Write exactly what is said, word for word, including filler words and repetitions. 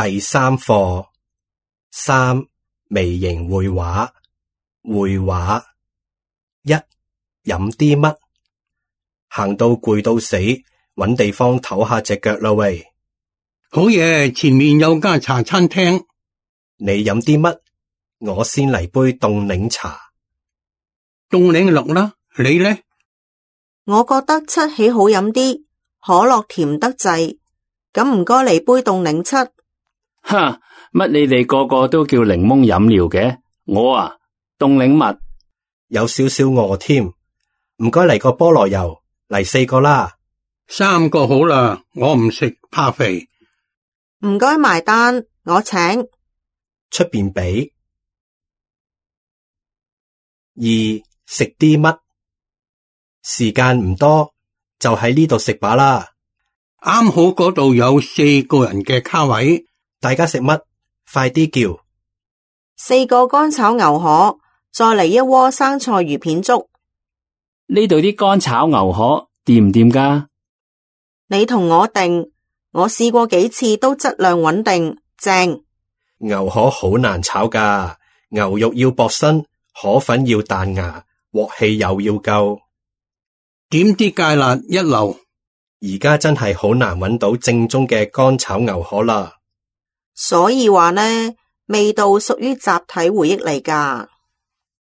第三課三微型繪畫。繪畫一，飲啲乜？行到攰到死，搵地方唞下隻腳啦喂。好嘢，前面有間茶餐廳。你飲啲乜？我先嚟杯凍檸茶。凍檸樂啦，你呢？我覺得七喜好飲啲，可樂甜得滯，咁唔該嚟杯凍檸七。哈，乜你哋個個都叫檸檬飲料嘅？我啊，凍檸蜜。有少少餓添，唔該嚟個菠蘿油，嚟四個啦。三個好啦，我唔食，怕肥。唔該埋單，我請。出邊俾。二，食啲乜？時間唔多，就喺呢度食罷啦。啱好嗰度有四個人嘅卡位。大家食乜？快啲叫。四個乾炒牛河，再嚟一鍋生菜魚片粥。呢度啲乾炒牛河掂唔掂㗎？你同我定，我試過幾次都質量穩定，正。牛河好難炒㗎，牛肉要薄身，河粉要彈牙，鑊氣又要夠。點啲芥辣一流。而家真係好難揾到正宗嘅乾炒牛河啦。所以話呢，味道屬於集體回憶嚟㗎。